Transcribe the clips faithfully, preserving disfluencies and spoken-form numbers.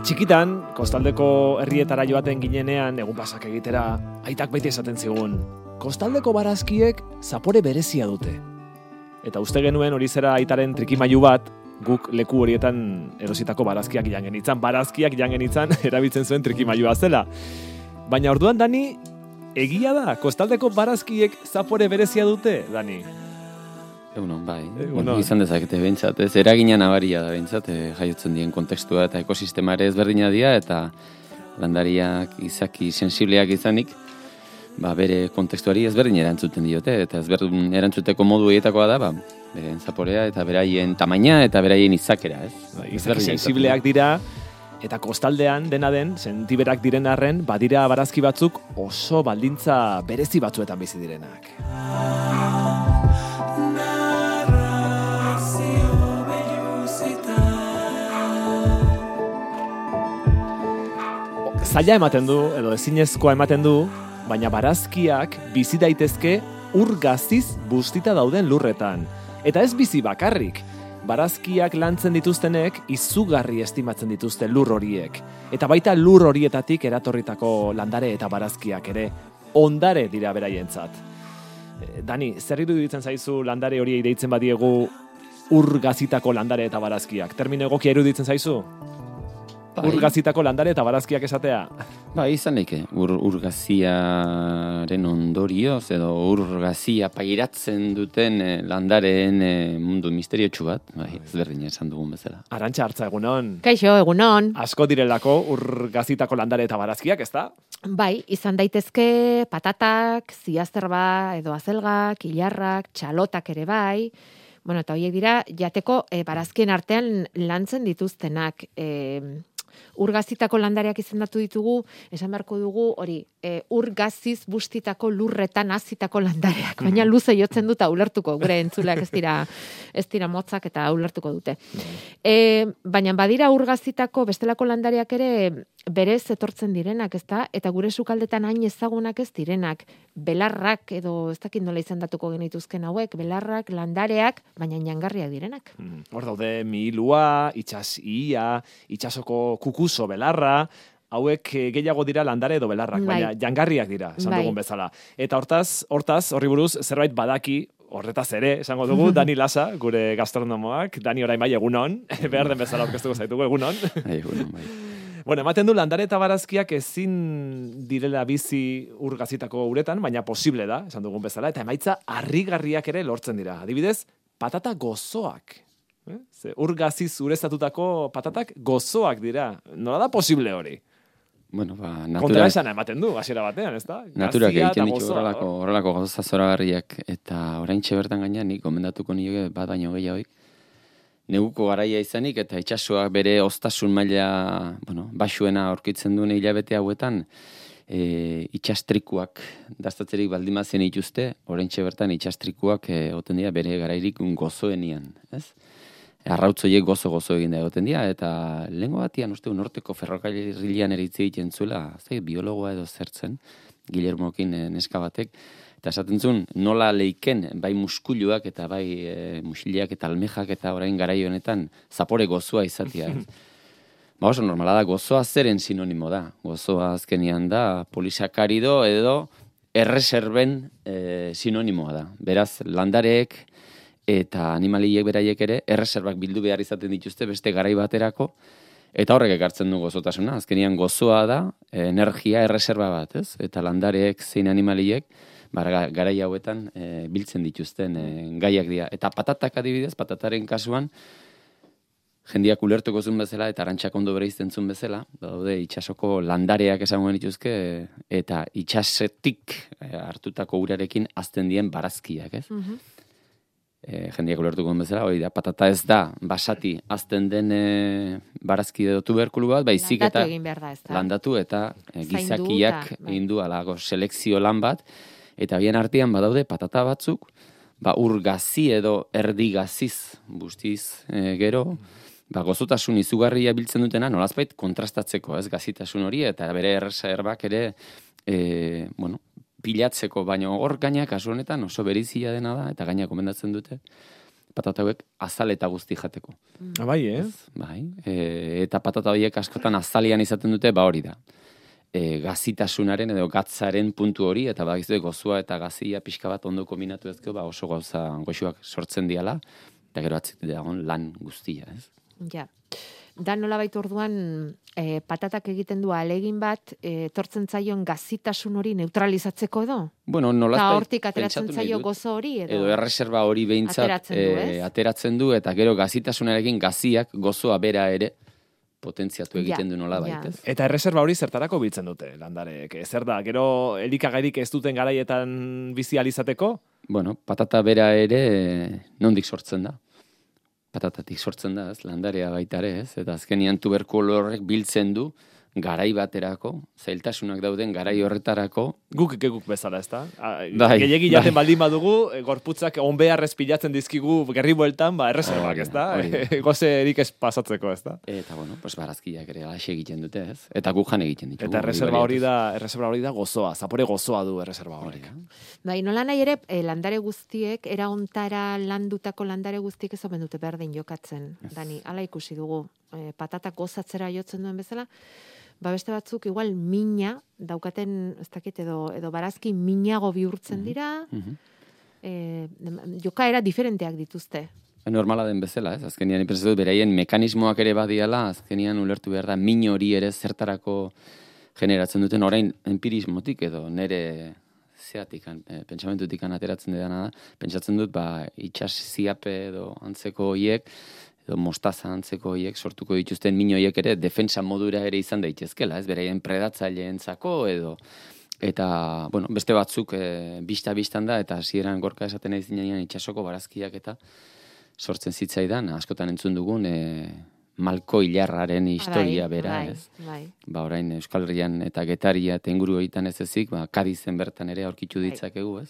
Txikitan, kostaldeko herrietara joaten ginenean, egun pasak egitera, aitak beti esaten zigun, kostaldeko barazkiek zapore berezia dute. Eta uste genuen hori zera aitaren trikimailu bat, guk leku horietan erositako barazkiak jangen itzan, barazkiak jangen itzan, erabiltzen zuen trikimailua zela. Baina orduan, Dani, egia da, kostaldeko barazkiek zapore berezia dute, Dani? Egunon, bai. Egunon. Izan dezakete behintzat, ez eragina nabaria da behintzat, e, jaiotzen dien kontekstua eta ekosistemare ezberdina dira, eta landariak izaki sensibleak izanik, ba, bere kontekstuari ezberdin erantzuten diote, eta ezberdin erantzuteko modu egietakoa da, ba, beren zaporea eta beraien tamaina eta beraien izakera, ez? Ba, izaki sensibleak dira, eta kostaldean dena den, sentiberak diren arren, badira barazki batzuk oso baldintza berezi batzuetan bizi direnak. Zaila ematen du, edo ezinezkoa ematen du, baina barazkiak bizi daitezke ur gaziz bustita dauden lurretan. Eta ez bizi bakarrik. Barazkiak lantzen dituztenek izugarri estimatzen dituzte lur horiek. Eta baita lur horietatik eratorritako landare eta barazkiak ere ondare dira beraientzat. Dani, zer iruditzen zaizu landare horiei deitzen badiegu ur gazitako landare eta barazkiak? Termino egokia iruditzen zaizu? Bai. Urgazitako landare eta barazkiak esatea. Ba, izan leke, ur, urgaziaren ondorioz, edo urgazia pairatzen duten eh, landareen eh, mundu misteriotsu bat, bai, ezberdin esan dugun bezala. Arantxa Hartza, egunon. Kaixo, egunon. Asko direlako urgazitako landare eta barazkiak, ezta? Bai, izan daitezke patatak, ziazterba, edo azelgak, ilarrak, txalotak ere bai. Bueno, eta horiek dira, jateko e, barazkien artean lantzen dituztenak. E, urgazitako landareak izendatu ditugu, esan beharko dugu, hori, e, urgaziz bustitako lurretan hazitako landareak. Baina luze jotzen dut ulertuko, gure entzuleak ez dira, ez dira motzak eta ulertuko dute. E, baina badira urgazitako bestelako landareak ere berez etortzen direnak, ezta? Eta gure sukaldetan hain ezagunak ez direnak. Belarrak, edo ez dakit nola izendatuko genituzken hauek, belarrak, landareak, baina jangarriak direnak. Hmm. Hor daude mihilua, itxas ia, itxasoko kukuso belarra, hauek gehiago dira landare edo belarrak, Bai. baina jangarriak dira, esan Bai. dugun bezala. Eta hortaz, hortaz, horri buruz, zerbait badaki, horretaz ere, esango dugu, Dani Lasa, gure gastronomoak, Dani orain bai egunon, behar den bezala aurkeztuko zaitugu egunon. Bai, egunon, bai. Bueno, ematen du landare eta barazkiak ezin direla bizi urgazitako uretan, baina posible da, esan dugun bezala, eta emaitza harrigarriak ere lortzen dira. Adibidez, patata gozoak. Eh? Ze urgaziz ureztatutako patatak gozoak dira. Nola da posible hori? Bueno, ba, natura... Kontra esana ematen du, hasiera batean, ez da? Naturak Gazia egiten eta ditu gozoa, horrelako, horrelako gauza zoragarriak, eta oraintxe bertan gaina nik gomendatuko nioke bat baino gehiagoik. Neguko garaia izanik eta itsasoak bere oztasun maila, bueno, baxuena aurkitzen duen hilabete hauetan, e, itsastrikuak dastatzerik baldimazien ituzte, oraintxe bertan itsastrikuak egoten dira bere garairik gozoenian, ez? Arrautzoiek gozo-gozo egin da egoten dira, eta lehengo batian uste norteko ferrokarrilean eritzi egiten zuela, zai, biologoa edo zertzen, Guillermokin neska batek, eta esaten zuen, nola leiken, bai muskuluak eta bai e, musileak eta almejak eta orain garai honetan zapore gozoa izatea. Ba oso normala da, gozoa zeren sinonimo da. Gozoa azkenian da polisakarido edo erreserben e, sinonimoa da. Beraz, landareek eta animaliek beraiek ere erreserbak bildu behar izaten dituzte beste garai baterako, eta horrek ekartzen du gozotasuna. Azkenian gozoa da energia erreserba bat, ez? Eta landareek zein animaliek garai hauetan e, biltzen dituzten e, gaiak dira. Eta patatak adibidez, patataren kasuan, jendiak ulertuko zuen bezala, eta Arantxak ondo bereizten zuen bezala, daude itxasoko landareak esango dituzke, eta itxasetik e, hartutako urarekin hazten dien barazkiak, ez? Uh-huh. E, jendiak ulertuko duen bezala, hori da, patata ez da, basati hazten den e, barazki edo tuberkulu bat, baizik eta landatu egin behar da, ez da? Landatu eta e, Zaindu gizakiak eta, bai. egin du alago selekzio lan bat, eta bien artean badaude patata batzuk, ba urgazi edo erdigaziz bustiz e, gero, ba gozotasun izugarria biltzen dutena, nolazbait kontrastatzeko, ez, gazitasun hori, eta bere erreserbak ere, e, bueno, pilatzeko, baino hor gaina kasu honetan oso berizia dena da, eta gaina komendatzen dute, patata hauek azal eta guzti jateko. Ah, bai, eh? Bai, e, eta patata horiek askotan azalian izaten dute, ba hori da. E, gazitasunaren edo gatzaren puntu hori, eta badakizue gozoa eta gazia pixka bat ondo kombinatu ezkeo, ba oso gauza goxuak sortzen diala, eta gero atzitu dagoen lan guztia, ez? Ja. Da nolabait orduan e, patatak egiten du alegin bat, e, tortzen zaion gazitasun hori neutralizatzeko edo? Bueno, nolazta eta hortik ateratzen zaio gozo hori edo? Edo erreserba hori behintzat ateratzen du, ez? e, ateratzen du, eta gero gazitasunarekin gaziak gozoa bera ere potentziatu egiten Ja, du nola ja. baitez. Eta erreserba hori zertarako biltzen dute, landareek. Zer da, gero elikagairik ez duten garaietan bizi alizateko? Bueno, patata bera ere nondik sortzen da. Patatatik sortzen da, ez, landarea baita ere, ez, eta azkenian tuberkulo horrek biltzen du garai baterako, zailtasunak dauden garai horretarako. Guk geguk bezala, ez da? Bai, Gehiegi jaten bai. baldin badugu, e, gorputzak onbeharrez pilatzen dizkigu gerri bueltan, ba, erreserbak, ez da? Hori da, hori Goze erik ez pasatzeko, ez da? Eta, bueno, pues barazkiak ere alaxe egiten dute, ez? Eta gujan egiten ditugu. Eta erreserba hori baliatuz. da, erreserba hori da gozoa, zapore gozoa du erreserba Hori horrek. da. Bai, nola nahi ere, e, landare guztiek, era ontara landutako landare guztiek ez omen dute berdin jokatzen. Dani, hala ikusi dugu, e, patatak gozatzera jotzen duen bezala, ba beste batzuk igual mina daukaten, ez dakit, edo, edo barazki minago bihurtzen dira, Mhm. e, jokaera diferenteak dituzte. Normala den bezala, ez? Azkenian ipensatzen dut beraien mekanismoak ere badiala, azkenian ulertu behar da min hori ere zertarako generatzen duten orain empirismotik edo nere zeatikan, e, pentsamendutikan ateratzen dena da, pentsatzen dut, ba, itxas ziape edo antzeko hoiek, edo mostaza antzeko hoiek sortuko dituzten min hoiek ere defensa modura ere izan daitezkela, ez? Beraien predatzaileentzako edo eta, bueno, beste batzuk e, bista-bistan da, eta hasieran gorka esaten ez dinean itxasoko barazkiak eta sortzen zitzaidan, askotan entzun dugun e, Malko Ilarraren historia Bai, bera, bai, ez? Bai. Ba, orain Euskal Herrian eta Getaria eta inguru horietan ez ezik, ba, Kadizen bertan ere aurkitu Bai. ditzakegu, ez?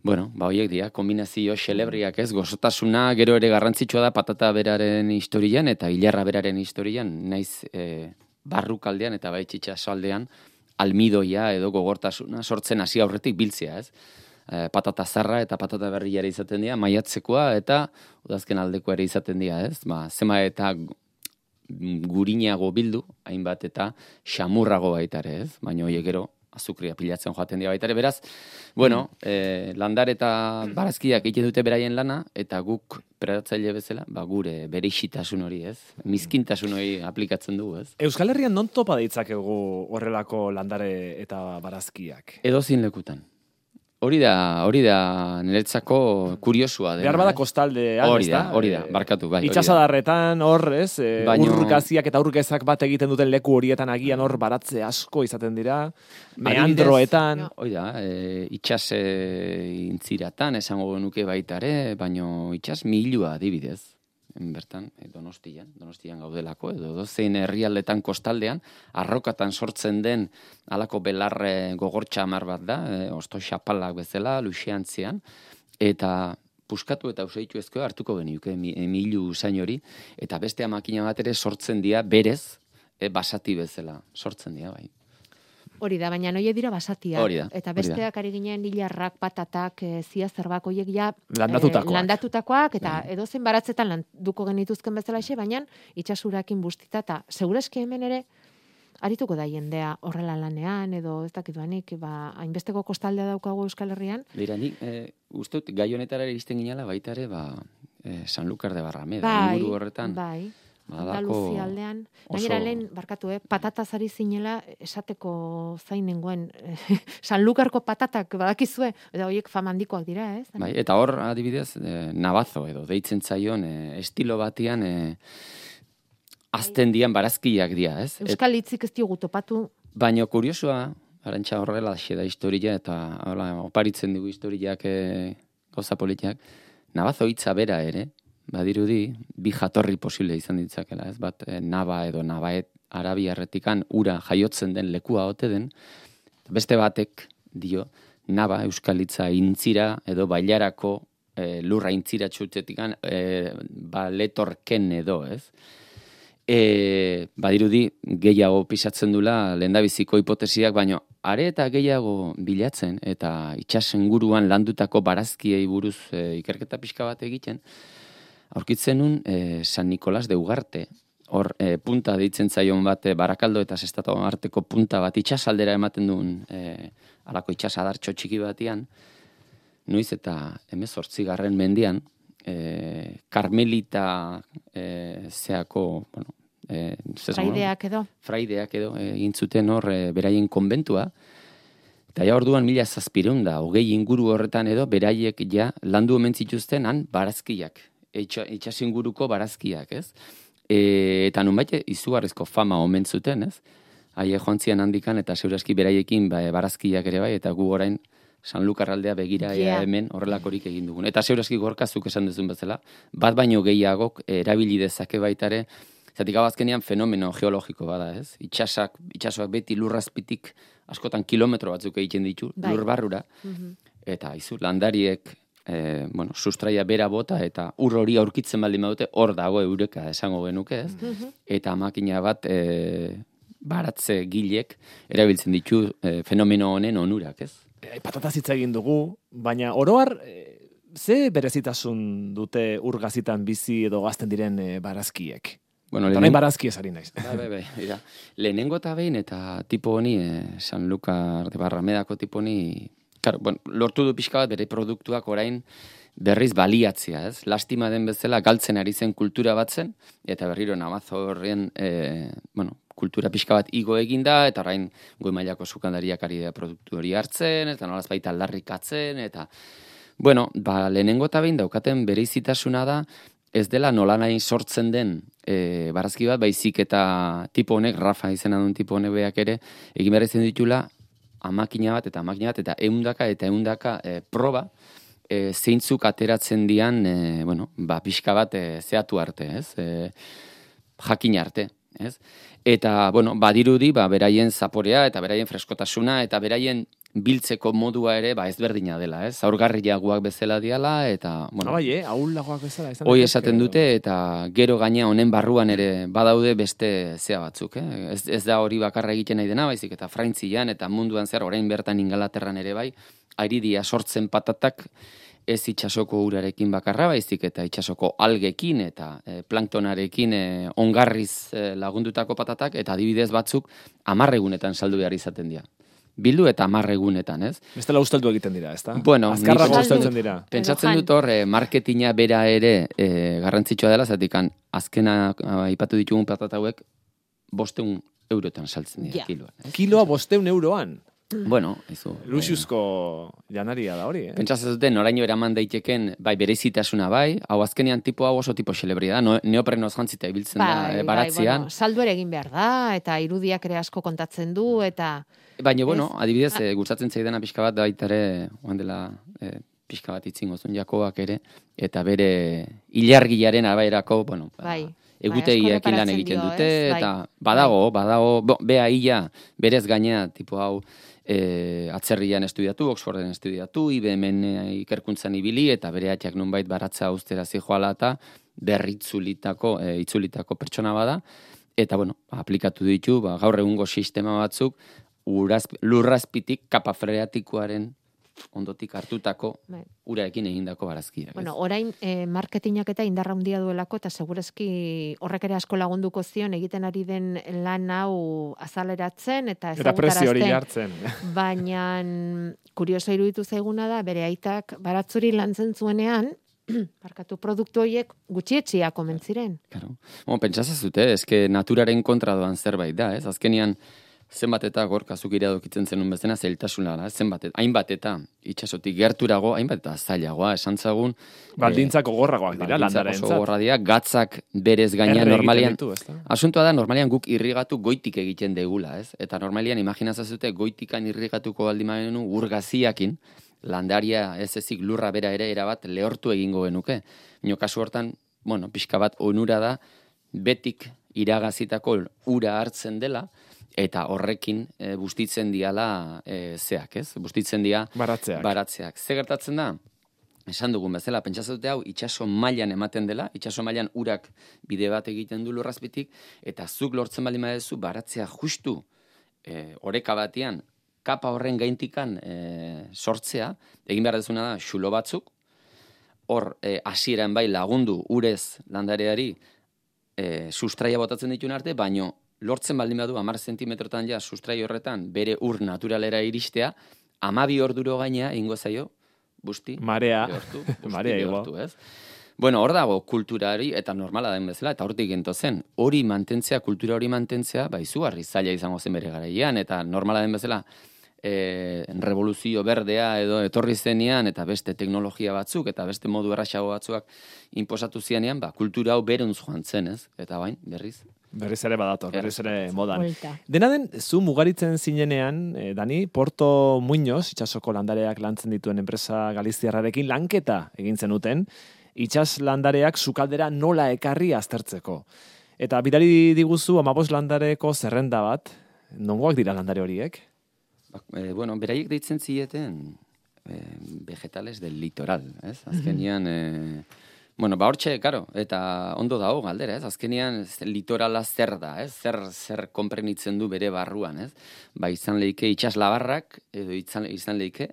Bueno, ba, hoiek dira, kombinazio xelebriak, ez? Gozotasuna gero ere garrantzitsua da patata beraren historian eta Ilarra beraren historian, naiz e, barrukaldean eta bai itsasoaldean almidoia edo gogortasuna sortzen hasi aurretik biltzea, ez? E, patata zarra eta patata berria ere izaten dira, maiatzekoa eta udazken aldekoa ere izaten dira, ez? Ba, zema eta gurinago bildu, hainbat eta xamurrago baita ere, ez? Baina hoiek gero azukria pilatzen joaten dira baita ere, beraz, bueno, eh, landar eta barazkiak egiten dute beraien lana, eta guk predatzaile bezala, ba, gure bereixitasun hori, ez? Mizkintasun hori aplikatzen dugu, ez? Euskal Herrian non topa ditzakegu horrelako landare eta barazkiak? Edozin lekutan. Hori da, hori da niretzako kuriosua dena. Behar bada ez? kostaldean, Hori ez da, da? hori da, Eh, barkatu, bai. hori da. Itxasadarretan hor, ez? E, Baino- Urgaziak eta urgezak bat egiten duten leku horietan agian hor baratze asko izaten dira. Meandroetan. Adibidez, Hoi da, e, itxas e, intziratan esango nuke baita ere, baino itxas milua adibidez. Bertan, e, Donostian, Donostian gaudelako, edo dozein herrialdetan kostaldean, arrokatan sortzen den halako belarre gogortxa hamar bat da, e, osto xapalak bezala, luxeantzian, eta puskatu eta usaitu ezko hartuko beniuke mi, milu usain hori, eta beste makina bat ere sortzen dira berez, e, basati bezala, sortzen dira, bai. Hori da, baina noie dira basatiak. Hori da, Eta hori da. besteak ari ginen hilarrak, patatak, e, ziazerbak horiek ja... Landatutakoak. eh, landatutakoak, eta Bai. edozein baratzetan landuko genituzken bezala xe, baina itxasurakin bustita, eta segurazki hemen ere arituko da jendea horrela lanean, edo ez dakit banik, ba, hainbesteko kostaldea daukagu Euskal Herrian. Beira, nik, e, uste dut, gai honetara iristen ginala baita ere, ba, e, Sanlúcar de Barrameda, Bai, inguru horretan. bai. badako Andaluzia aldean. oso- Gainera lehen, barkatu, eh, patataz ari zinela esateko zain nengoen. Sanlukarko patatak badakizue, eta horiek fama handikoak dira, ez? Bai, eta hor, adibidez, e, nabazo edo, deitzen zaion, e, estilo batian, e, azten dian barazkiak dira, ez? Et, Euskal hitzik ez diogu topatu. baina kuriosua, arantxa horrela xe da historia, eta hola, oparitzen dugu historiak e, gauza politiak, nabazo hitza bera ere, badirudi, bi jatorri posible izan ditzakela, ez? Bat, e, naba edo nabaet arabiarretikan ura jaiotzen den lekua ote den, beste batek dio, naba euskal hitza intzira edo bailarako e, lurra intzira txutetikan e, ba, letorken edo, ez? E, badirudi gehiago pisatzen dula lehendabiziko hipotesiak, baino are eta gehiago bilatzen, eta itxasen guruan landutako barazkiei buruz e, ikerketa pixka bat egiten, aurkitzen nun e, San Nicolas de Ugarte, hor e, punta deitzen zaion bat, e, Barakaldo eta Sestatu arteko punta bat itxasaldera ematen duen e, alako itxasadartxo txiki batian, noiz eta hemezortzigarren mendian, e, Karmelita e, zeako, bueno, e, fraideak edo. Fraideak edo, egin zuten hor e, beraien konbentua, eta ja orduan mila zazpireun da, hogei inguru horretan edo, beraiek ja landu omen zituzten han barazkiak, itxasinguruko barazkiak, ez? E, eta nunbait izugarrizko fama omen zuten, ez? Haie joan zian handikan eta segurazki beraiekin ba, barazkiak ere bai, eta gu orain San Lukarraldea begira yeah. hemen horrelakorik egin dugun. Eta segurazki gorkazuk esan duzun bezala, bat baino gehiagok erabili dezake baitare, zatik abazkenean fenomeno geologiko bada, ez? Itxasak, itxasoak beti lurrazpitik askotan kilometro batzuk egiten ditu, bai. Lur barrura, mm-hmm. eta izu, landariek E, bueno, sustraia bera bota eta ur hori aurkitzen baldin badute, hor dago eureka esango genuke, ez? Mm-hmm. Eta makina bat e, baratze gilek erabiltzen ditu e, fenomeno honen onurak, ez? E, patataz hitz egin dugu, baina oroar e, ze berezitasun dute urgazitan bizi edo gazten diren e, barazkiek? Bueno, eta nahi barazki esari naiz. Bai, bai, bai, ira. Lehenengo eta behin eta tipo honi, e, San Lucar de Barramedako tipo honi, Claro, bueno, lortu du pixka bat bere produktuak orain berriz baliatzea, ez? Lastima den bezala galtzen ari zen kultura bat zen, eta berriro namazo horren, e, bueno, kultura pixka bat igo eginda, eta orain goi mailako sukandariak ari da produktu hori hartzen, eta nolaz baita aldarrikatzen, eta, bueno, ba, lehenengo eta behin daukaten bereizitasuna da, ez dela nola nahi sortzen den e, barazki bat, baizik eta tipo honek, Rafa izena duen tipo honek beak ere, egin behar izan ditula, amakina bat eta amakina bat eta eundaka eta eundaka e, proba e, zeintzuk ateratzen dian e, bueno, ba, pixka bat e, zehatu arte, ez? E, jakin arte, ez? Eta, bueno, badirudi, ba, beraien zaporea eta beraien freskotasuna eta beraien biltzeko modua ere, ba, ezberdina dela, ez? Aurgarriagoak bezala diala eta, bueno, bai, eh, ahullagoak bezala. Hoi esaten dute eta gero gaina honen barruan ere badaude beste zea batzuk, eh? Ez, ez da hori bakarra egiten nahi dena, baizik eta Frantzian eta munduan zer, orain bertan Ingalaterran ere bai, aridia sortzen patatak ez itxasoko urarekin bakarra, baizik eta itxasoko algekin eta e, planktonarekin e, ongarriz e, lagundutako patatak, eta adibidez batzuk amarregunetan saldu behar izaten dira. Bildu eta amarregunetan, ez? Bestela usteldu egiten dira, ezta? Bueno, azkarrago usteltzen dira. Pentsatzen dut hor, eh, marketina bera ere eh, garrantzitsua dela, zatikan azkena aipatu ditugun patata hauek bosteun eurotan saltzen dira, ja. kiloan. Eh? Kiloa bosteun euroan? Bueno, izu. Luxuzko janaria da hori, eh? Pentsatzen duten, noraino eraman daiteken, bai, berezitasuna bai, hau azkenean tipo hau oso tipo xelebria da, no, neoprenoz jantzita ibiltzen bai, da e, baratzean. Bai, bueno, saldu ere egin behar da, eta irudiak ere asko kontatzen du, eta... Baina, bueno, adibidez, e, gustatzen zaidana pixka bat da baitare, oan dela e, pixka bat itzingozun Jakoak ere, eta bere ilargiaren abaerako, bueno, bai. egutegiekin lan egiten dute, ez? Eta bai. badago, badago, bo, bea ia, berez gaina, tipo hau, e, atzerrian estudiatu, Oxforden estudiatu, I B M ikerkuntzan ibili, eta bere atxak nunbait baratza austera zijoala eta berritzulitako, e, itzulitako pertsona bada, eta, bueno, aplikatu ditu, ba, gaur egungo sistema batzuk, Uraz, lurrazpitik kapa freatikoaren ondotik hartutako bai. Urarekin egindako barazkiak. Bueno, orain eh, marketingak eta indarra handia duelako eta segurazki horrek ere asko lagunduko zion egiten ari den lan hau azaleratzen eta ezagutarazten. Eta presio hori jartzen. Baina kurioso iruditu zaiguna da bere aitak baratzuri lantzen zuenean parkatu produktu horiek gutxietxia komentziren. Claro. Bueno, pentsazazute, eske naturaren kontra doan zerbait da, ez? Azkenian zenbat eta gorkazuk iradokitzen zenun bezena zeltasuna da, zenbat eta, hainbat eta itxasotik gerturago, hainbat eta zailagoa, esan zagun. Baldintzako gorragoak dira, landaren zat. Gorra dira, gatzak berez gaina normalian. Ditu, asuntua da, normalian guk irrigatu goitik egiten degula, ez? Eta normalian, imaginazazute, goitikan irrigatuko baldimanu urgaziakin, landaria ez ezik lurra bera ere erabat lehortu egingo genuke. Nio kasu hortan, bueno, pixka bat onura da, betik iragazitako ura hartzen dela, eta horrekin e, bustitzen diala e, zeak, ez? Bustitzen dia baratzeak. baratzeak. Ze gertatzen da? Esan dugun bezala, pentsazute hau itxaso mailan ematen dela, itxaso mailan urak bide bat egiten du lurrazpitik, eta zuk lortzen baldin badezu baratzea justu e, oreka batean kapa horren gaintikan e, sortzea, egin behar dezuna da, xulo batzuk, hor e, hasieran bai lagundu urez landareari e, sustraia botatzen dituen arte, baino lortzen baldin badu hamar zentimetrotan ja sustrai horretan bere ur naturalera iristea, hamabi orduro gainea ingo zaio, busti, marea, behortu, busti, marea behortu, ez? Bueno, hor dago kulturari, eta normala den bezala, eta hortik gento zen, hori mantentzea, kultura hori mantentzea, ba, izugarri zaila izango zen bere garaian, eta normala den bezala, e, revoluzio berdea edo etorri zenean, eta beste teknologia batzuk, eta beste modu erraxago batzuak inposatu zianean, ba, kultura hau beruntz joan zen, ez? Eta bain, berriz. Berriz ere badator, berriz ere modan. Vuelta. Dena den, zu mugaritzen zinenean, eh, Dani, Porto Muñoz, itsasoko landareak lantzen dituen enpresa galiziarrarekin lanketa egin zenuten, itsas landareak sukaldera nola ekarri aztertzeko. Eta bidali diguzu amabos landareko zerrenda bat, nongoak dira landare horiek? Ba, e, bueno, beraiek deitzen zieten e, vegetales del litoral, ez? Azkenian, e, bueno, ba hortxe, karo, eta ondo dago galdera, ez? Azkenian ez, litorala zer da, ez? Zer, zer konprenitzen du bere barruan, ez? Ba izan leike itxas labarrak, edo izan, izan leike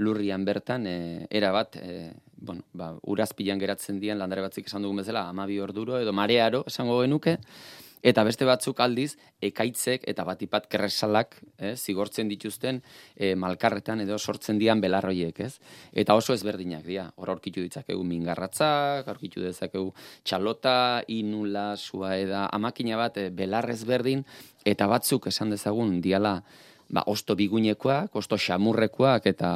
lurrian bertan, e, erabat, e, bueno, ba, urazpilan geratzen dian landare batzik esan dugun bezala, hamabi orduro edo marearo esango genuke, eta beste batzuk aldiz, ekaitzek eta batipat kerresalak eh, zigortzen dituzten eh, malkarretan edo sortzen dian belarroiek, ez? Eta oso ezberdinak dira. Hor aurkitu ditzakegu mingarratzak, aurkitu dezakegu txalota, inula, suaeda, amakina bat eh, belar ezberdin, eta batzuk esan dezagun diala ba, osto bigunekoak, osto xamurrekoak, eta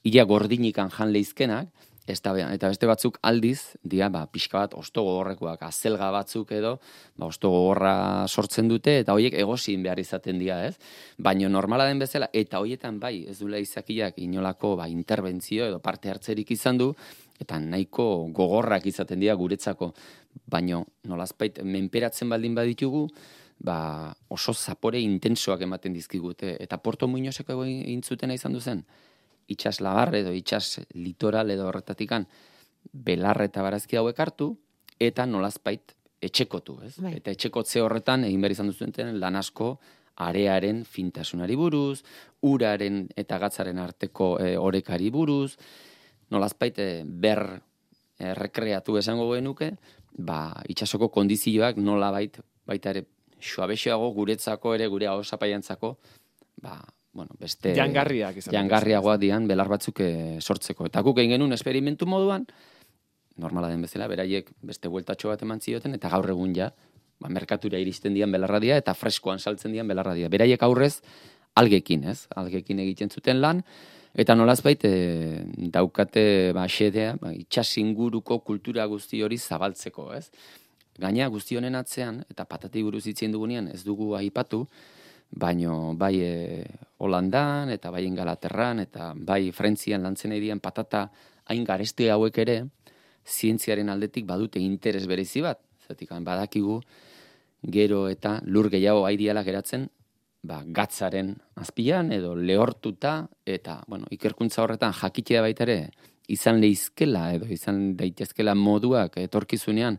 ia gordinikan jan leizkenak, eta beste batzuk aldiz, dia, ba, pixka bat osto gogorrekoak, azelga batzuk edo, ba, osto gogorra sortzen dute, eta horiek egozin behar izaten dira, ez? Baina normala den bezala, eta horietan bai, ez duela izakiak inolako ba, interbentzio edo parte hartzerik izan du, eta nahiko gogorrak izaten dira guretzako, baina nolazpait menperatzen baldin baditugu, ba, oso zapore intensoak ematen dizkigute, eta Porto Muñozeko egin zutena izan duzen, itxas labar edo itxas litoral edo horretatikan belar eta barazki hauek hartu, eta nolazpait etxekotu, ez? Bai. Eta etxekotze horretan egin behar izan duzuen lan asko arearen fintasunari buruz, uraren eta gatzaren arteko e, orekari buruz, nolazpait e, ber e, rekreatu esango genuke, ba, itxasoko kondizioak nolabait baita ere suabexeago guretzako ere gure ahosapaiantzako, ba, bueno, beste jangarriak izan. Jangarriagoa dian belar batzuk e, sortzeko. Eta guk egin genuen esperimentu moduan, normala den bezala, beraiek beste bueltatxo bat eman zioten, eta gaur egun ja, ba, merkatura iristen dian belarra dia, eta freskoan saltzen dian belarra dia. Beraiek aurrez, algekin, ez? Algekin egiten zuten lan, eta nolazbait e, daukate ba, xedea, ba, itxas inguruko kultura guzti hori zabaltzeko, ez? Gaina guzti honen atzean, eta patati buruz itzien dugunean ez dugu aipatu, baino bai e, Holandan, eta bai Ingalaterran, eta bai Frentzian lantzen edian patata hain gareste hauek ere, zientziaren aldetik badute interes berezi bat. Zatik, badakigu gero eta lur gehiago aidiala geratzen, ba, gatzaren azpian, edo lehortuta, eta bueno, ikerkuntza horretan jakitea baita ere, izan leizkela, edo izan daitezkela moduak etorkizunean,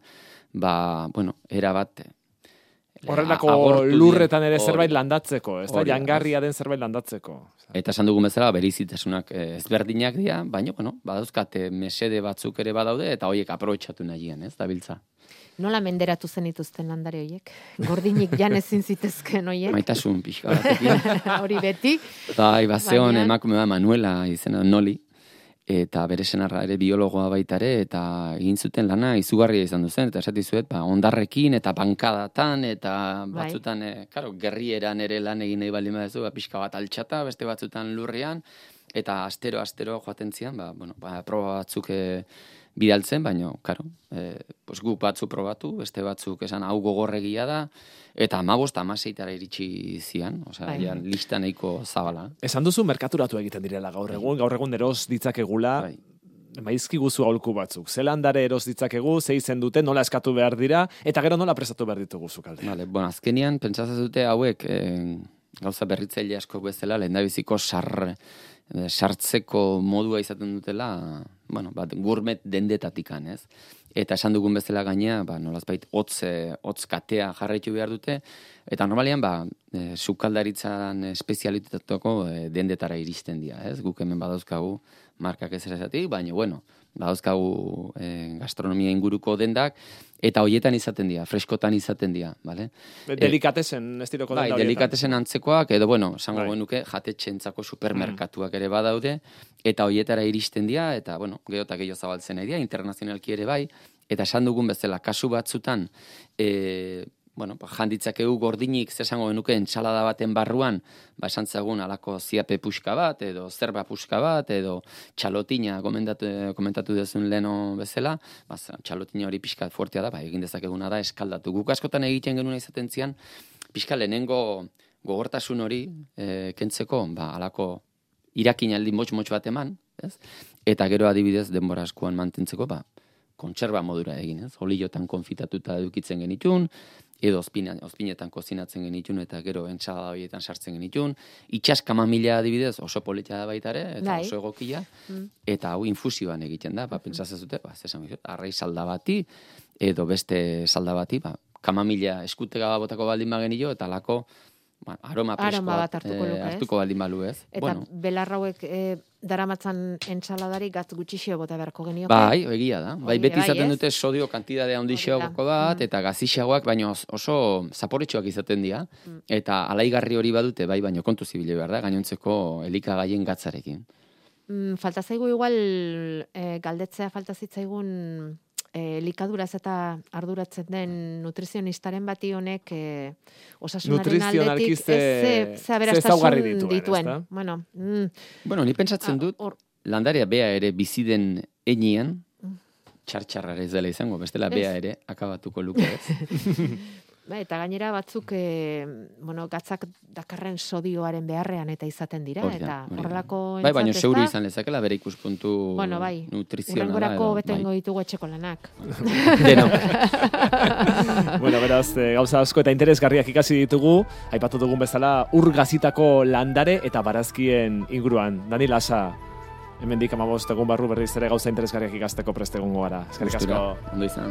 ba, bueno, erabat horrelako lurretan ere zerbait landatzeko, ez da, jangarria den zerbait landatzeko. Eta esan dugun bezala, berizitasunak ezberdinak dira, baina, bueno, badauzkate mesede batzuk ere badaude, eta horiek aprobetxatu nahian, ez, da biltza. Nola menderatu zen ituzten landare horiek? Gordinik jan ezin zitezken horiek? Maitasun pixka batekin. Hori beti. Bai, bazeon emakume da Manuela izena Noli, eta bere senarra ere biologoa baita ere, eta egin zuten lana izugarria izan duzen, eta esati zuet, ba, ondarrekin, eta bankadatan, eta batzutan, e, karo, gerrieran ere lan egin nahi baldin badezu, ba, pixka bat altxata, beste batzutan lurrian, eta astero-astero joaten zian, ba, bueno, ba, proba batzuk e, bidaltzen, baina, karo, e, pues, guk batzu probatu, beste batzuk esan hau gogorregia da, eta amabost amaseitara iritsi zian, osea, ja, lista nahiko zabala. Esan duzu merkaturatu egiten direla gaur egun, gaur egun eros ditzakegula, bai. Maizki guzu aholku batzuk. Ze landare eros ditzakegu, ze izen dute, nola eskatu behar dira, eta gero nola prestatu behar ditugu zukalde. Vale, bueno, azkenian, pentsatzen dute hauek, eh, gauza berritzaile asko bezala, lehendabiziko sar, sartzeko modua izaten dutela, bueno, bat, gourmet dendetatikan, ez? eta esan dugun bezala gainea, ba, nolazbait hotz, hotz katea jarraitu behar dute, eta normalian, ba, e, sukaldaritzan espezialitateko e, dendetara iristen dira, ez? Guk hemen badauzkagu markak ez ezatik, baina, bueno, badauzkagu e, gastronomia inguruko dendak, eta hoietan izaten dira, freskotan izaten dira, bale? Delikatesen estiloko denda horietan. Bai, delikatesen antzekoak, edo, bueno, esango genuke, jatetxentzako supermerkatuak ere badaude, eta hoietara iristen dira, eta, bueno, gero eta gehiago zabaltzen nahi dira, internazionalki ere bai, eta esan dugun bezala, kasu batzutan, e, bueno, janditzakegu gordinik, zesango genuke, entsalada baten barruan, ba, esan zagun alako ziape puxka bat, edo zerba puxka bat, edo txalotina komentatu, komentatu dezun leno bezala, ba, txalotina hori pixka fuertea da, ba, egin dezakeguna da, eskaldatu. Guk askotan egiten genuen izaten zian, pixka lehenengo gogortasun hori e, kentzeko, ba, alako irakinaldi motx-motx bat eman, ez? Eta gero adibidez denbora askoan mantentzeko, ba, kontserba modura egin, ez? Oliotan konfitatuta edukitzen genitun, edo ozpina, ozpinetan kozinatzen genitun, eta gero entsalada horietan sartzen genitun. Itxas kamamila adibidez oso polita da baita ere, eta Dai. oso egokia, Mm. eta hau infusioan egiten da, ba, pentsatzen zute, ba, zesan bizut, arrai salda bati, edo beste salda bati, ba, kamamila eskutega botako baldin bagenio, eta lako, ba, aroma preskoa Aroma bat hartuko luke, ez? hartuko baldin balu, ez? Eta Bueno, belarrauek e, daramatzan entsaladari gatz gutxixio bota beharko genioke. bai, egia da. Bai, Hori beti bai, izaten ez? dute sodio kantidade handixeagoko Hori da. bat, Mm. eta gazixeagoak, baina os- oso zaporetsuak izaten dira, Mm. eta alaigarri hori badute, bai, baina kontu zibile behar da, gainontzeko elikagaien gatzarekin. Mm, falta zaigu igual e, galdetzea falta zitzaigun e, elikaduraz eta arduratzen den nutrizionistaren bati honek e, osasunaren Nutrizionalki aldetik ze- ez ze, ze ze aberastasun ezaugarri dituen, dituen. ezta? Bueno, mm, Bueno, ni pentsatzen ah, dut, hor- landaria bea ere bizi den enean, Mm. txartxarrara ez dela izango, bestela Ez. bea ere akabatuko luke, ez? Ba, eta gainera batzuk e, bueno, gatzak dakarren sodioaren beharrean eta izaten dira, Hori da, eta hori da. horrelako Bai, baina entzat, seuru ezta? izan lezakela bere ikuspuntu Bueno, bai, nutrizionala. urrengorako edo, betengo bai. ditugu etxeko lanak. Deno. Bueno, beraz, e, gauza asko eta interesgarriak ikasi ditugu, aipatu dugun bezala ur gazitako landare eta barazkien inguruan. Dani Lasa, hemendik hamabost egun barru berriz ere gauza interesgarriak ikasteko prest egongo gara. Eskerrik asko. Gustura, ondo izan.